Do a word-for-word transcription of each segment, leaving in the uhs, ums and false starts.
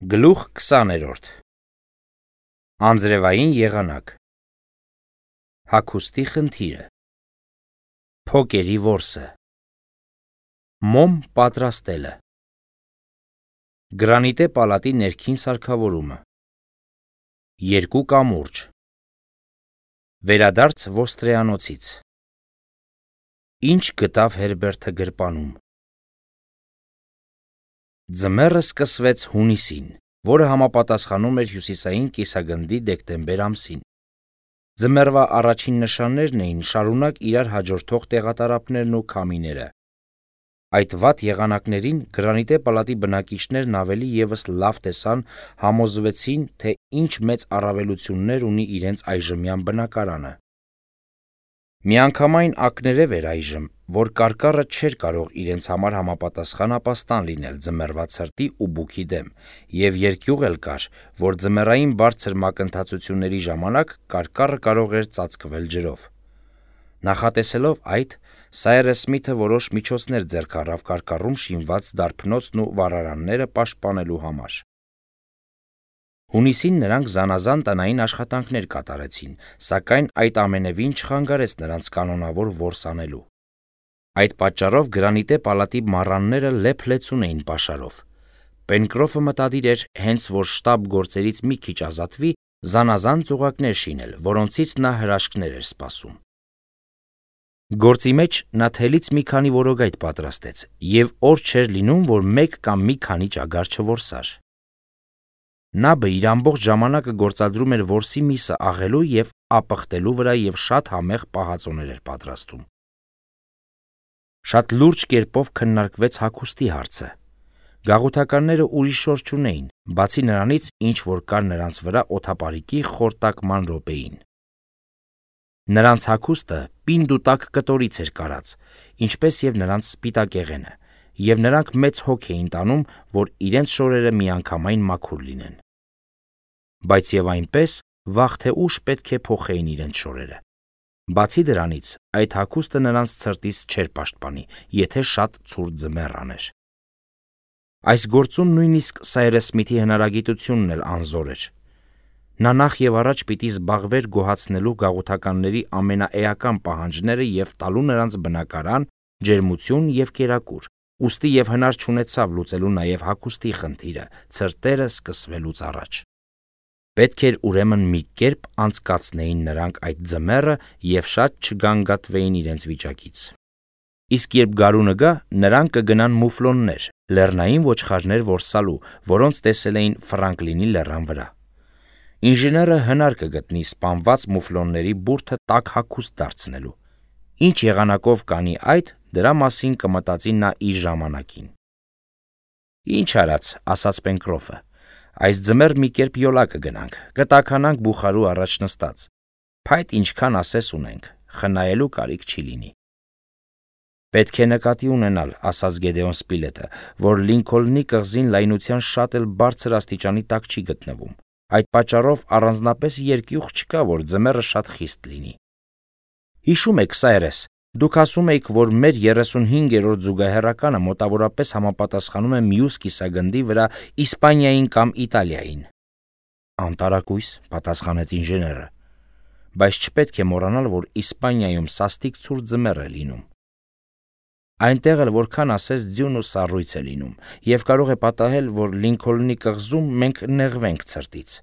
Գլուխ քսաներորդ Անձրևային եղանակ Հագուստի խնդիրը Փոկերի որսը Մոմ պատրաստելը Գրանիտե պալատի ներքին սարքավորումը Երկու կամուրջ Վերադարձ ոստրեանոցից Ինչ գտավ Հերբերտը գրպանում Ձմեռը սկսվեց հունիսին, որը համապատասխանում էր հյուսիսային կիսագնդի դեկտեմբեր ամսին։ Ձմեռվա առաջին նշաններն էին շարունակ իրար հաջորդող տեղատարափներն ու քամիները։ Այդ վատ եղանակներին գրանիտե պալատի բնակիչներն ավելի ևս լավ տեսան, համոզվեցին, թե ինչ մեծ առավելություններ ունի իրենց այժմյան բնակարանը։ Միանգամայն ակներև էր այժմ, որ կարկառը չէր կարող իրենց համար համապատասխան ապաստան լինել ձմեռվա ցրտի ու բուքի դեմ, և երկյուղ էլ կար, որ ձմեռային բարձր մակընթացությունների ժամանակ կարկառը կարող էր ծածկվել ջրով։ Նախատեսելով այդ, Սայրես Սմիթը որոշ միջոցներ ձեռք առավ կարկառում շինված դարբնոցն ու վառարանները պաշտպանելու համար։ Հունիսին նրանք զանազան տնային աշխատանքներ կատարեցին, սակայն այդ ամենևին չխանգարեց նրանց կանոնավոր որս անելու։ Այդ պատճառով գրանիտե պալատի մառանները լեփ-լեցուն էին պաշարով։ Պենկրոֆը մտադիր էր, հենց որ շտաբ գործերից մի քիչ ազատվի, զանազան ծուղակներ շինել, որոնցից նա հրաշքներ էր սպասում։ Գործի մեջ նա թելից մի քանի որոգայթ պատրաստեց, և օր չէր լինում, որ մեկ կամ մի քանի ճագար չորսար։ Նաբը իր ամբողջ ժամանակը գործադրում էր որսի միսը աղելու և ապխտելու վրա և շատ համեղ պահածոներ էր պատրաստում։ Շատ լուրջ կերպով քննարկվեց հագուստի հարցը։ Գաղութականները ուրիշ շոր չունեին, բացի նրանից, ինչ որ կար նրանց վրա օդապարիկի խորտակման րոպեին։ Նրանց հագուստը պինդ ու տաք կտորից էր կարած, ինչպես և նրանց սպիտակեղենը, և նրանք մեծ հոգ էին տանում, որ իրենց շորերը միանգամայն մաքուր լինեն։ Բայց և այնպես, վաղ թե ուշ պետք է փոխեին իրենց շորերը։ Բացի դրանից, այդ հագուստը նրանց ցրտից չէր պաշտպանի, եթե շատ ցուրտ ձմեռ աներ։ Այս գործում նույնիսկ Սայրես Սմիթի հնարագիտությունն էլ անզոր էր։ Նա նախ և առաջ պիտի զբաղվեր գոհացնելու գաղութականների ամենաէական պահանջները և տալու նրանց բնակարան, ջերմություն և կերակուր, ուստի և հնար չունեցավ լուծելու նաև հագուստի խնդիրը, ցրտերը սկսվելուց առաջ։ Պետք էր ուրեմն մի կերպ անցկացնեին նրանք այդ ձմեռը և շատ չգանգատվեին իրենց վիճակից։ Իսկ երբ գարունը գա, նրանք կգնան մուֆլոններ, լեռնային ոչխարներ որսալու, որոնց տեսել էին Ֆրանկլինի լեռան վրա։ Ինժեները հնար կգտնի սպանված մուֆլոնների բուրդը տաք հագուստ դարձնելու։ Ինչ եղանակով կանի այդ, դրա մասին կմտածի նա իր ժամանակին։ Ինչ արած, ասաց Պենկրոֆը, այս ձմեռ մի կերպ յոլա կգնանք, կտաքանանք բուխարու առաջ նստած, փայտ ինչքան ասես ունենք, խնայելու կարիք չի լինի։ Պետք է նկատի ունենալ, ասաց Գեդեոն Սպիլետը, որ Լինքոլնի կղզին լայնության շատ էլ բարձր աստիճանի տակ չի գտնվում։ Այդ պատճառով առանձնապես երկյուղ չկա, որ ձմեռը շատ խիստ լինի։ Հիշում եք, Սայրես, դուք ասում էիք, որ մեր երեսունհինգերորդ զուգահեռականը մոտավորապես համապատասխանում է մյուս կիսագնդի վրա Իսպանիային կամ Իտալիային։ Անտարակույս, պատասխանեց ինժեները, բայց չպետք է մոռանալ, որ Իսպանիայում սաստիկ ցուրտ ձմեռ է լինում։ Այնտեղ էլ որքան ասես ձյուն ու սառույց է լինում, և կարող է պատահել, որ Լինքոլնի կղզում մենք նեղվենք ցրտից,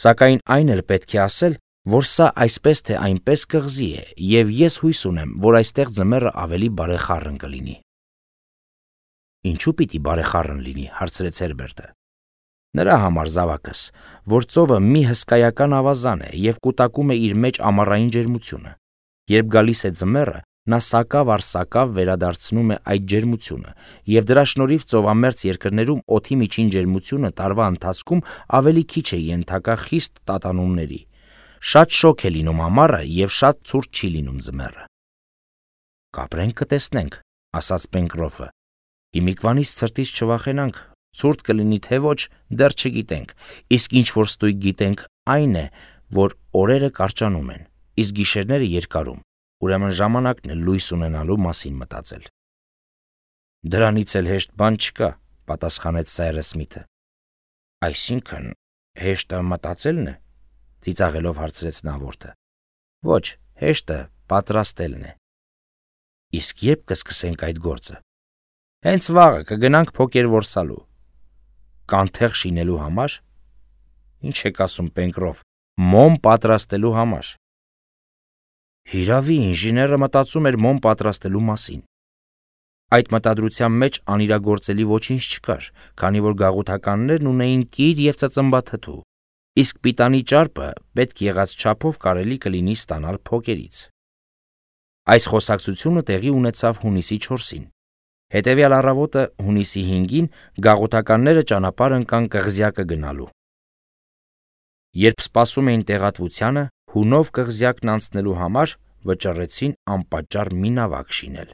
սակայն այն էլ պետք է ասել, որ սա այսպես թե այնպես կղզի է, և ես հույս ունեմ, որ այստեղ ձմեռը ավելի բարեխառն կլինի։ Ինչու պիտի բարեխառն լինի, հարցրեց Հերբերտը։ Նրա համար, զավակս, որ ծովը մի հսկայական ավազան է և կուտակում է իր մեջ ամառային ջերմությունը։ Երբ գալիս է ձմեռը, նա սակավ առ սակավ վերադարձնում է այդ ջերմությունը, և դրա շնորհիվ ծովամերձ երկրներում օդի միջին ջերմությունը տարվա ընթացքում ավելի քիչ է ենթակա խիստ տատանումների։ Շատ շոգ է լինում ամառը և շատ ցուրտ չի լինում ձմեռը։ Կապրենք կտեսնենք, ասաց Պենկրոֆը։ Հիմիկվանից ցրտից չվախենանք, ցուրտ կլինի թե ոչ, դեռ չգիտենք, իսկ ինչ որ ստույգ գիտենք, այն է, որ օրերը կարճանում են, իսկ գիշերները երկարում, ուրեմն ժամանակն է լույս ունենալու մասին մտածել։ Դրանից էլ հեշտ բան չկա, պատասխանեց Սայրես Սմիթը։ Այսինքն հեշտը մտածելն է, ծիծաղելով հարցրեց նավորդը։ Ոչ, հեշտը պատրաստելն է։ Իսկ երբ կսկսենք այդ գործը։ Հենց վաղը կգնանք փոկեր որսալու։ Կանթեղ շինելու համար։ Ինչ եք ասում, Պենկրոֆ, մոմ պատրաստելու համար։ Հիրավի, ինժեները մտածում էր մոմ պատրաստելու մասին։ Այդ մտադրության մեջ անիրագործելի ոչինչ չկար, քանի որ գաղութականներն ունեին կիր և ծծմբաթթու, իսկ պիտանի ճարպը պետք եղած չափով կարելի կլինի ստանալ փոկերից։ Այս խոսակցությունը տեղի ունեցավ հունիսի չորսին։ Հետևյալ առավոտը հունիսի հինգին գաղութականները ճանապարհ ընկան Կղզյակը գնալու։ Երբ սպասում էին տեղատվությանը, հունով Կղզյակն անցնելու համար վճռեցին անպատճառ մի նավակ շինել։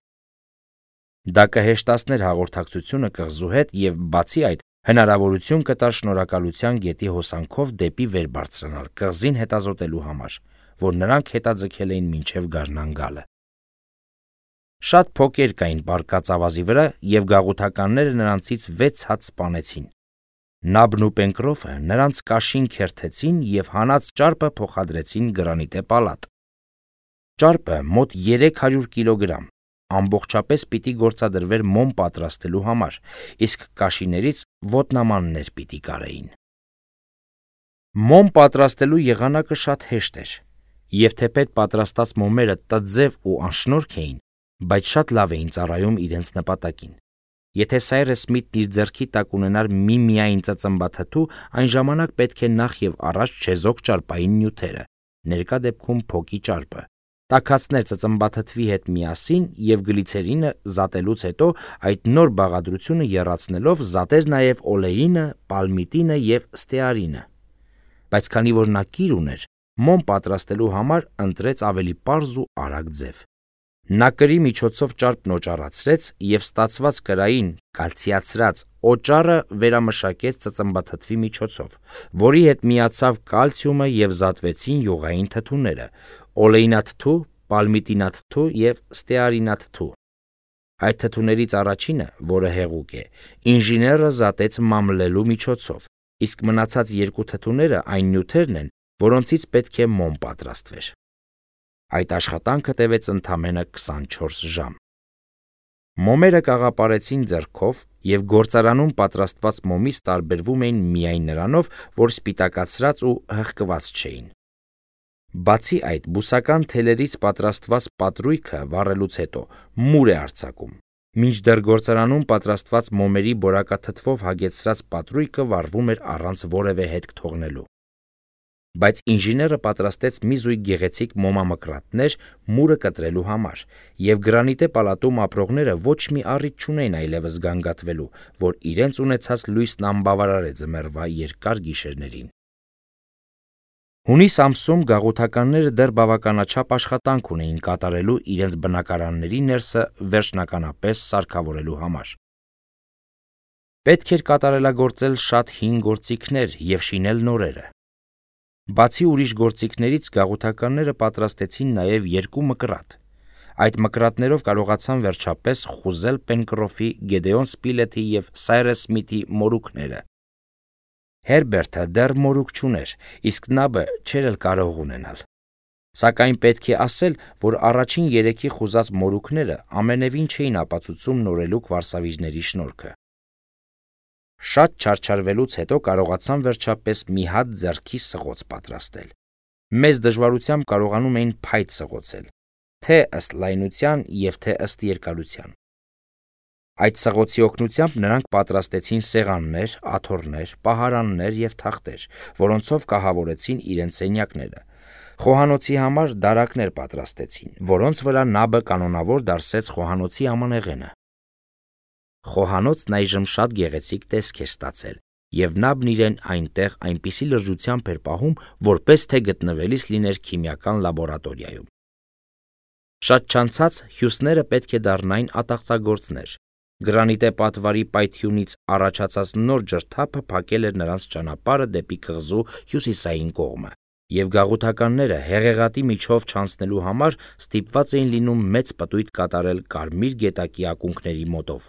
Դա կհեշտացներ հաղորդակցությունը կղզու հետ և, բացի այդ, հնարավորություն կտար Շնորհակալության գետի հոսանքով դեպի վեր բարձրանալ կղզին հետազոտելու համար, որ նրանք հետաձգել էին մինչև գարնան գալը։ Շատ փոկեր կային բարկած ավազի վրա, և գաղութականները նրանցից վեց հատ սպանեցին։ Նաբն ու Պենկրոֆը նրանց կաշին քերթեցին և հանած ճարպը փոխադրեցին գրանիտե պալատ։ Ճարպը մոտ երեք հարյուր կիլոգրամ, ամբողջապես պիտի գործադրվեր մոմ պատրաստելու համար, իսկ կաշիներից ոտնամաններ պիտի կարեին։ Մոմ պատրաստելու եղանակը շատ հեշտ էր, և թեպետ պատրաստած մոմերը տձև ու անշնորհք էին, բայց շատ լավ էին ծառայում իրենց նպատակին։ Եթե Սայրես Սմիթն իր ձեռքի տակ ունենար միմիայն ծծմբաթթու, այն ժամանակ պետք է նախ և առաջ չեզոք ճարպային նյութերը, ներկա դեպքում փոկի ճարպը, տաքացներ ծծմբաթթվի հետ միասին և գլիցերինը զատելուց հետո այդ նոր բաղադրությունը եռացնելով զատեր նաև օլեինը, պալմիտինը և ստեարինը։ Բայց քանի որ նա կիր ուներ, մոմ պատրաստելու համար ընտրեց ավելի պարզ ու արագ ձև։ Նա կրի միջոցով ճարպն օճառացրեց և ստացված կրային կալցիացրած օճառը վերամշակեց ծծմբաթթվի միջոցով, որի հետ միացավ կալցիումը և զատվեցին յուղային թթուները՝ օլեինաթթու, պալմիտինաթթու և ստեարինաթթու։ Այդ թթուներից առաջինը, որը հեղուկ է, ինժեները զատեց մամլելու միջոցով, իսկ մնացած երկու թթուները այն նյութերն են, որոնցից պետք է մոմ պատրաստվեր։ Այդ աշխատանքը տևեց ընդամենը քսանչորս ժամ։ Մոմերը կաղապարեցին ձեռքով և գործարանում պատրաստված մոմից տարբերվում էին միայն նրանով, որ սպիտակացրած ու հղկված չէին։ Բացի այդ, բուսական թելերից պատրաստված պատրույգը վառելուց հետո մուր է արձակում, մինչդեռ գործարանում պատրաստված մոմերի բորակաթթվով հագեցրած պատրույգը վառվում էր առանց որևէ հետք թողնելու։ Բայց ինժեները պատրաստեց մի զույգ գեղեցիկ մոմամկրատներ մուրը կտրելու համար, և գրանիտե պալատում ապրողները ոչ մի առիթ չունեին այլևս գանգատվելու, որ իրենց ունեցած լույսն անբավարար է ձմեռվա երկար գիշերներին։ Հունիս ամսում գաղութականները դեռ բավականաչափ աշխատանք ունեին կատարելու իրենց բնակարանների ներսը վերջնականապես սարքավորելու համար։ Պետք էր կատարելագործել շատ հին գործիքներ և շինել նորերը։ Բացի ուրիշ գործիքներից գաղութականները պատրաստեցին նաև երկու մկրատ։ Այդ մկրատներով կարողացան վերջապես խուզել Պենկրոֆի, Գեդեոն Սպիլեթի և Սայրես Սմիթի մորուքները։ Հերբերտը դեռ մորուք չուներ, իսկ Նաբը չէր էլ կարող ունենալ։ Սակայն պետք է ասել, որ առաջին երեքի խուզած մորուքները ամենևին չէին ապացուցում նորելուկ վարսավիժների շնորհքը։ Շատ չարչարվելուց հետո կարողացան վերջապես մի հատ ձեռքի սղոց պատրաստել։ Մեծ դժվարությամբ կարողանում էին փայտ սղոցել, թե ըստ լայնության և թե ըստ երկարության։ Այդ սղոցի օգնությամբ նրանք պատրաստեցին սեղաններ, աթոռներ, պահարաններ և թախտեր, որոնցով կահավորեցին իրենց սենյակները։ Խոհանոցի համար դարակներ պատրաստեցին, որոնց վրա Նաբը կանոնավոր դարսեց խոհանոցի ամանեղենը։ Խոհանոցն այժմ շատ գեղեցիկ տեսք էր ստացել, և Նաբն իրեն այնտեղ այնպիսի լրջությամբ էր պահում, որպես թե գտնվելիս լիներ քիմիական լաբորատորիայում։ Շատ չանցած հյուսները պետք է դառնային ատաղծագործներ։ Գրանիտե պատվարի պայթյունից առաջացած նոր ջրթափը փակել էր նրանց ճանապարհը դեպի կղզու հյուսիսային կողմը, և գաղութականները հեղեղատի միջով չանցնելու համար ստիպված էին լինում մեծ պտույտ կատարել Կարմիր գետակի ակունքների մոտով։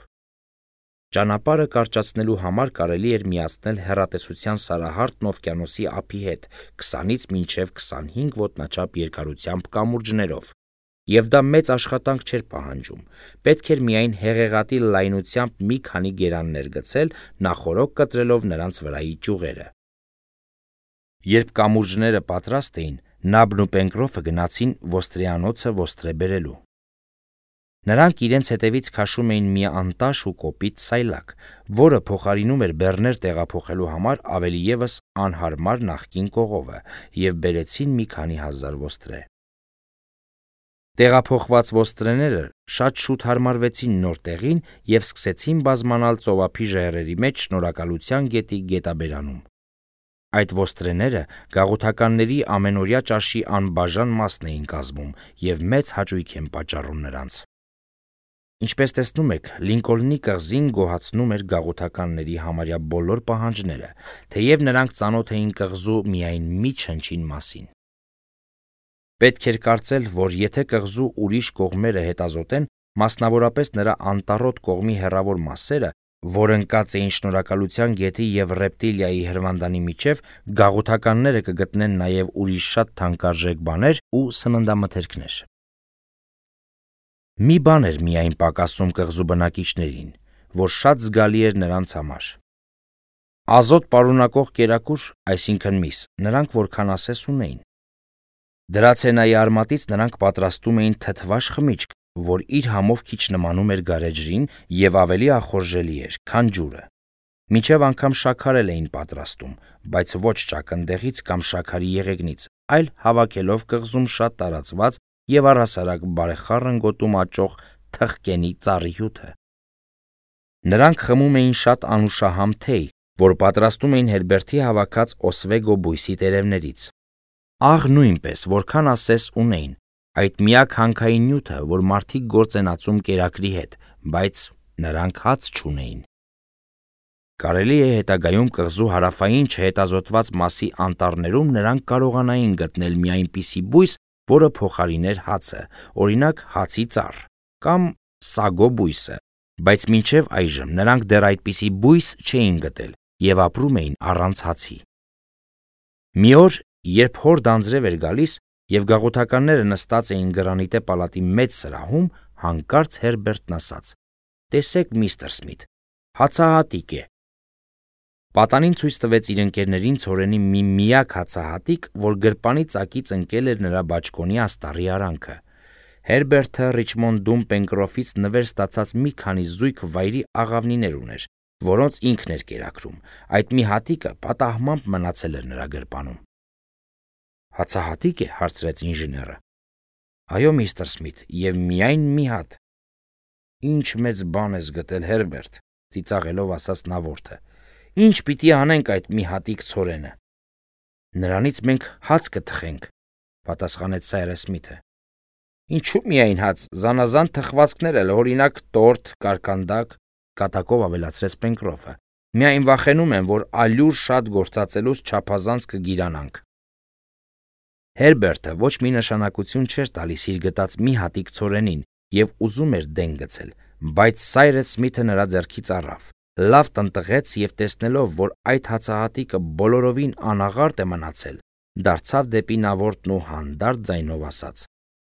Ճանապարհը կարճացնելու համար կարելի էր միացնել հեռատեսության սարահարթն օվկիանոսի ափի հետ քսանից մինչև քսանհինգ ոտնաչափ երկարությամբ կամուրջներով, եւ դա մեծ աշխատանք չէր պահանջում, պետք էր միայն հեղեղատի լայնությամբ մի քանի գերաններ գցել, նախօրոք կտրելով նրանց վրայի ճյուղերը։ Երբ կամուրջները պատրաստ էին, Նաբն ու Պենկրոֆը գնացին ոստրեանոցը ոստրե բերելու։ Նրանք իրենց հետևից քաշում էին մի անտաշ ու կոպիտ սայլակ, որը փոխարինում էր բեռներ տեղափոխելու համար ավելի ևս անհարմար նախկին կողովը, եւ բերեցին մի քանի հազար ոստրե։ Տեղափոխված ոստրեները շատ շուտ հարմարվեցին նոր տեղին եւ սկսեցին բազմանալ ծովափի ժայռերի մեջ Շնորհակալության գետի գետաբերանում։ Այդ ոստրեները գաղութականների ամենօրյա ճաշի անբաժան մասն էին կազմում եւ մեծ հաճույք են պատճառում նրանց։ Ինչպես տեսնում եք, Լինկոլնի կղզին գոհացնում էր գաղութականների համարյա բոլոր պահանջները, թեև նրանք ծանոթ էին կղզու միայն մի չնչին մասին։ Պետք էր կարծել, որ եթե կղզու ուրիշ կողմերը հետազոտեն, մասնավորապես նրա անտառոտ կողմի հեռավոր մասերը, որ ընկած էին Շնորհակալության գետի եւ Ռեպտիլիայի հրվանդանի միջև, գաղութականները կգտնեն նաեւ ուրիշ շատ թանկարժեք բաներ ու սննդամթերքներ։ Մի բան էր միայն պակասում կղզու բնակիչներին, որ շատ զգալի էր նրանց համար։ Ազոտ պարունակող կերակուր, այսինքն միս, նրանք որքան ասես ունեին։ Դրացենայի արմատից նրանք պատրաստում էին թթվաշ խմիչք, որ իր համով քիչ նմանում էր գարեջրին եւ ավելի ախորժելի էր, քան ջուրը։ Մինչև անգամ շաքարել էին պատրաստում, բայց ոչ ճակնդեղից կամ շաքարի եղեգնից, այլ հավաքելով կղզում շատ տարածված եւ առհասարակ բարեխառն գոտում աճող թխկենի ծառի հյութը։ Նրանք խմում էին շատ անուշահամ թեյ, որ պատրաստում էին Հերբերտի հավաքած օսվեգո բույսի տերևներից։ Աղ նույնպես, որքան ասես ունեին, այդ միակ հանքային նյութը, որ մարդիկ գործ են ածում կերակրի հետ, բայց նրանք հաց չունեին։ Կարելի է հետագայում կղզու հարավային չհետազոտված մասի անտառներում նրանք կարողանային գտնել մի այնպիսի բույս, որը փոխարիներ հացը, օրինակ հացի ծառ կամ սագո բույսը, բայց մինչև այժմ նրանք դեռ այդպիսի բույս չէին գտել եւ ապրում էին առանց հացի։ Մի օր, երբ հորդ անձրև էր գալիս եւ գաղութականները նստած էին գրանիտե պալատի մեծ սրահում, հանկարծ Հերբերտն ասաց. «Տեսեք, միստր Սմիթ, հացահատիկ է»։ Պատանին ցույց տվեց իր ընկերներին ցորենի մի միակ հացահատիկ, որ գրպանի ծակից ընկել էր նրա բաճկոնի աստառի արանքը։ Հերբերտը Ռիչմոնդում Պենկրոֆից նվեր ստացած մի քանի զույգ վայրի աղավնիներ ուներ, որոնց ինքն էր կերակրում։ Այդ մի հատիկը պատահմամբ մնացել էր նրա գրպանում։ Հացահատիկ է, հարցրեց ինժեները։ Այո, միստր Սմիթ, եւ միայն մի հատ։ Ինչ մեծ բան ես գտել, Հերբերտ, ծիծաղելով ասաց նավորդը։ Ինչ պիտի անենք այդ մի հատիկ ցորենը։ Նրանից մենք հաց կթխենք, պատասխանեց Սայրս Սմիթը։ Ինչու միայն հաց, զանազան թխվածքներ էլ, օրինակ տորտ, կարկանդակ, կատակով ավելացրեց Պենկրոֆը։ Միայն վախենում եմ, որ ալյուր շատ գործածելուց չափազանց կգիրանանք։ Հերբերտը ոչ մի նշանակություն չէր տալիս իր գտած մի հատիկ ցորենին եւ ուզում էր դեն գցել, բայց Սայրս Սմիթը նրա ձեռքից առավ, լավ տնտղեց եւ տեսնելով, որ այդ հացահատիկը բոլորովին անաղարտ է մնացել, դարձավ դեպի նավորդն ու հանդարտ ձայնով ասաց.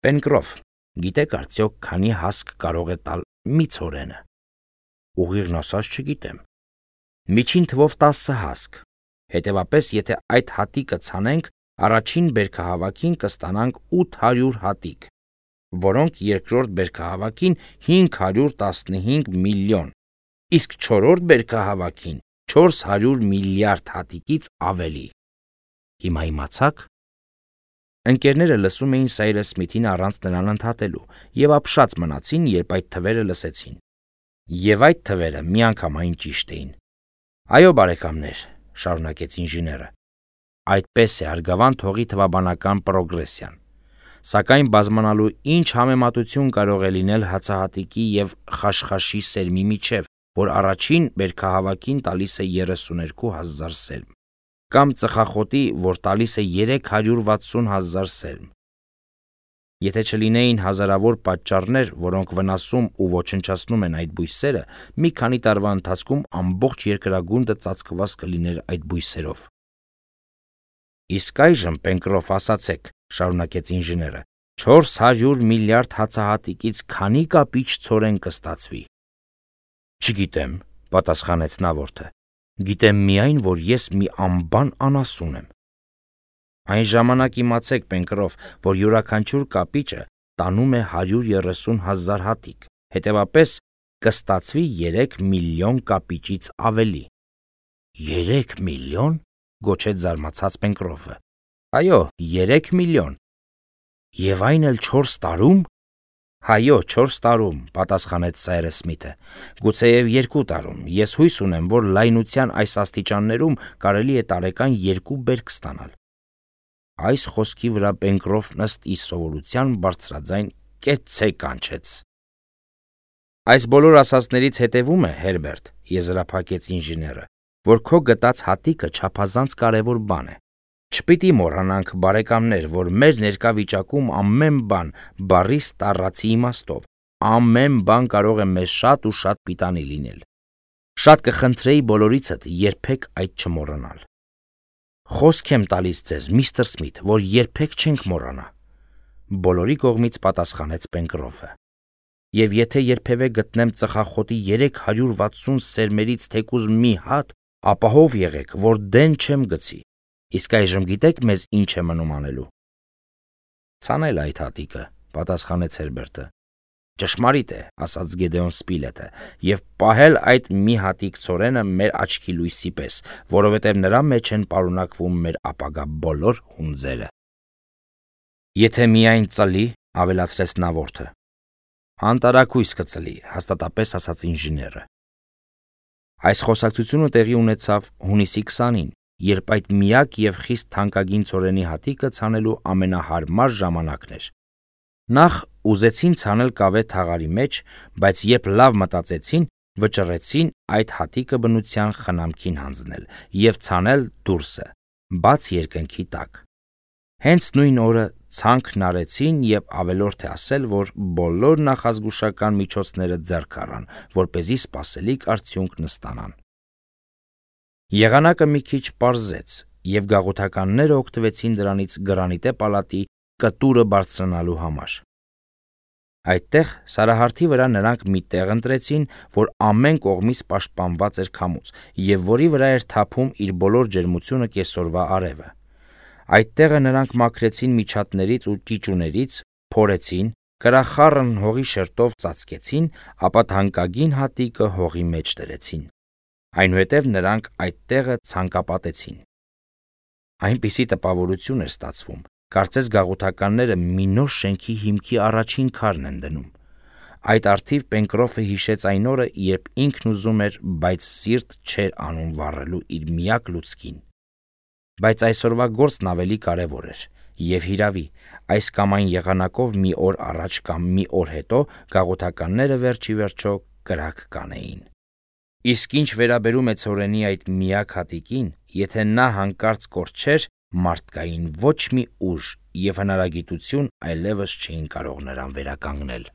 Պենկրոֆ, գիտեք արդյոք քանի հասկ կարող է տալ մի ցորենը։ Ուղիղն ասած չգիտեմ։ Միջին թվով տասը հասկ։ Հետևապես, եթե այդ հատիկը ցանենք, առաջին բերքահավաքին կստանանք ութ հարյուր հատիկ, որոնք երկրորդ բերքահավաքին հինգ հարյուր տասնհինգ միլիոն, իսկ չորրորդ բերքահավաքին չորս հարյուր միլիարդ հատիկից ավելի։ Հիմա իմացաք։ Ընկերները լսում էին Սայրս Սմիթին առանց նրան ընդհատելու եւ ապշած մնացին, երբ այդ թվերը լսեցին։ Եվ այդ թվերը միանգամայն ճիշտ էին։ Այո, բարեկամներ, շարունակեց ինժեները, այդպես է արգավանդ հողի թվաբանական պրոգրեսիան, սակայն բազմանալու ինչ համեմատություն կարող է լինել հացահատիկի եւ խաշխաշի սերմի միջև, որ առաջին բերքահավաքին տալիս է երեսուներկու հազար սերմ, կամ ծխախոտի, որ տալիս է երեք հարյուր վաթսուն հազար սերմ։ Եթե չլինեին հազարավոր պատճառներ, որոնք վնասում ու ոչնչացնում են այդ բույսերը, մի քանի տարվա ընթացքում ամբողջ երկրագունդը ծածկված կլիներ այդ բույսերով։ Իսկ այժմ, Պենկրոֆ, ասացեք, շարունակեց ինժեները, չորս հարյուր միլիարդ հացահատիկից քանի կապիչ ցորեն կստացվի։ Չգիտեմ, պատասխանեց նավորդը։ Գիտեմ միայն, որ ես մի անբան անասուն եմ։ Այն ժամանակ իմացեք, Պենկրոֆ, որ յուրաքանչյուր կապիճը տանում է հարյուր երեսուն հազար հատիկ, հետևապես կստացվի երեք միլիոն կապիճից ավելի։ Երեք միլիոն, գոչեց զարմացած Պենկրոֆը։ Այո, երեք միլիոն։ Եվ այն էլ չորս տարում։ Հայո, չորս տարում, պատասխանեց Սայրս Սմիթը։ Գուցեև երկու տարում։ Ես հույս ունեմ, որ լայնության այս աստիճաններում կարելի է տարեկան երկու բերք ստանալ։ Այս խոսքի վրա Պենկրոֆն ըստ իր սովորության բարձրաձայն կեցցե կանչեց։ Այս բոլոր ասածներից հետևում է, Հերբերտ, եզրափակեց ինժեները, որ քո գտած հատիկը չափազանց կարևոր բան է։ Չպիտի մոռանանք, բարեկամներ, որ մեր ներկա վիճակում ամեն բան բառի ստառացի իմաստով, ամեն բան կարող է մեզ շատ ու շատ պիտանի լինել։ Շատ կխնդրեի բոլորիցդ երբեք այդ չմոռանալ։ Խոսք եմ տալիս ձեզ, միստր Սմիթ, որ երբեք չենք մոռանա, բոլորի կողմից պատասխանեց Պենկրոֆը։ Եվ եթե երբևէ գտնեմ ծխախոտի երեք հարյուր վաթսուն սերմերից թեկուզ մի հատ, ապահով եղեք, որ դեն չեմ գցի։ Իսկ այժմ գիտեք մեզ ինչ է մնում անելու։ Ցանել այդ հատիկը, պատասխանեց Հերբերտը։ Ճշմարիտ է, ասաց Գեդեոն Սպիլետը, եւ պահել այդ մի հատիկ ցորենը մեր աչքի լույսի պես, որովհետեւ նրա մեջ են պարունակվում մեր ապագա բոլոր հունձերը։ Եթե միայն ծլի, ավելացրեց նավորդը։ Անտարակույս կծլի, հաստատապես ասաց ինժեները։ Այս խոսակցությունը տեղի ունեցավ հունիսի քսանին, երբ այդ միակ եւ խիստ թանկագին ցորենի հատիկը ցանելու ամենահարմար ժամանակն էր։ Նախ ուզեցին ցանել կավե թաղարի մեջ, բայց երբ լավ մտածեցին, վճռեցին այդ հատիկը բնության խնամքին հանձնել եւ ցանել դուրսը, բաց երկնքի տակ։ Հենց նույն օրը ցանքն արեցին եւ ավելորդ է ասել, որ բոլոր նախազգուշական միջոցները ձեռք առան, որպեսզի սպասելիք արդյունքն ստանան։ Եղանակը մի քիչ պարզեց, եւ գաղութականները օգտվեցին դրանից գրանիտե պալատի կտուրը բարձրանալու համար։ Այդտեղ սարահարթի վրա նրանք մի տեղ ընտրեցին, որ ամեն կողմից պաշտպանված էր քամուց, եւ որի վրա էր թափում իր բոլոր ջերմությունը կեսօրվա արևը։ Այդ տեղը նրանք մաքրեցին միջատներից ու ճիճուներից, փորեցին, կրախառն հողի շերտով ծածկեցին, ապա թանկագին հատիկը հողի մեջ դրեցին։ Այնուհետև նրանք այդ տեղը ցանկապատեցին։ Այնպիսի տպավորություն էր ստացվում, կարծես գաղութականները մի նոր շենքի հիմքի առաջին քարն են դնում։ Այդ արդիվ Պենկրոֆը հիշեց այն օրը, երբ ինքն ուզում էր, բայց սիրտ չէր անում վառելու իր միակ լուցկին։ Բայց այսօրվա գործն ավելի կարևոր էր, եւ հիրավի, այս կամ այն եղանակով մի օր առաջ կամ մի օր հետո գաղութականները վերջի վերջո կրակ կանեին։ Իսկ ինչ վերաբերում է ցորենի այդ միակ հատիկին, եթե նա հանկարծ կորչեր, մարդկային ոչ մի ուժ եւ հնարագիտություն այլևս չէին կարող նրան վերականգնել։